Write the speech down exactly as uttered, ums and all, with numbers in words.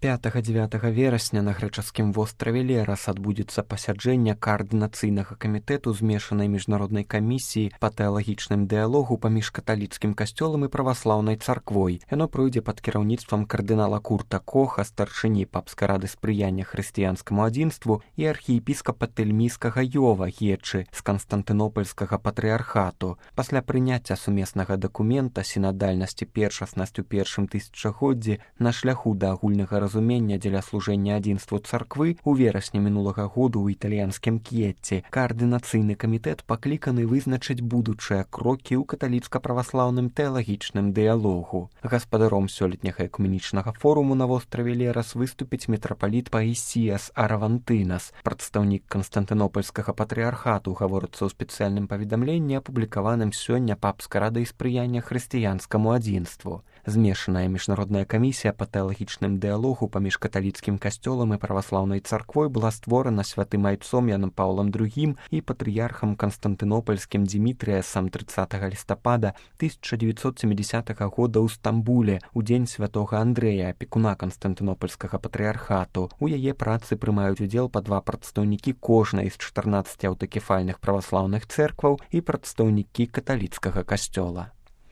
пятага-дзевятага верасня на грэчаскім востраве Лерас адбудзецца пасяджэнне каардынацыйнага камітэту змешанай міжнароднай камісіі па тэалагічным дыялогу паміж каталіцкім касцёлам і праваслаўнай царквой. Яно пройдзе пад кіраўніцтвам кардынала Курта Коха, старшыні папскай рады спрыяння хрысціянскаму адзінству, і архіепіскапа тэльмійскага Йова Гечы з канстантынопольскага патрыархату. Пасля прыняцця сумеснага дакумента сінадальнасці першаснасць у першым тысячагоддзі на шляху да агульнага разумення разумення дзеля служэння адзінству царквы у верасні мінулага году ў італьянскім К'етці каардынацыйны камітэт пакліканы вызначыць будучыя крокі ў каталіцка-праваслаўным тэалагічным дыялогу. Гаспадаром сёлетняга экуменічнага форуму на востраве Лерас выступіць мітрапаліт Паісіяс Аравантынас, прадстаўнік канстантынопольскага патрыархату, гаворыцца ў спецыяльным паведамленні, апублікаваным сёння папскай радай спрыяння хрысціянскаму адзінству. Змешаная міжнародная камісія па тэалагічным дыялогу паміж каталіцкім касцёлам і праваслаўнай царквой была створана святым айцом Янам Паўлам другім і патрыярхам канстантынопольскім Дзімітрыясам трыццатага лістапада тысяча дзевяцьсот сямідзясятага года ў Стамбуле у дзень святога Андрэя, апекуна канстантынопольскага патрыярхату. У яе працы прымаюць удзел па два прадстаўнікі кожнай з чатырнаццаці аўтакефальных праваслаўных цэркваў і прадстаўнікі каталіцкага касцёла.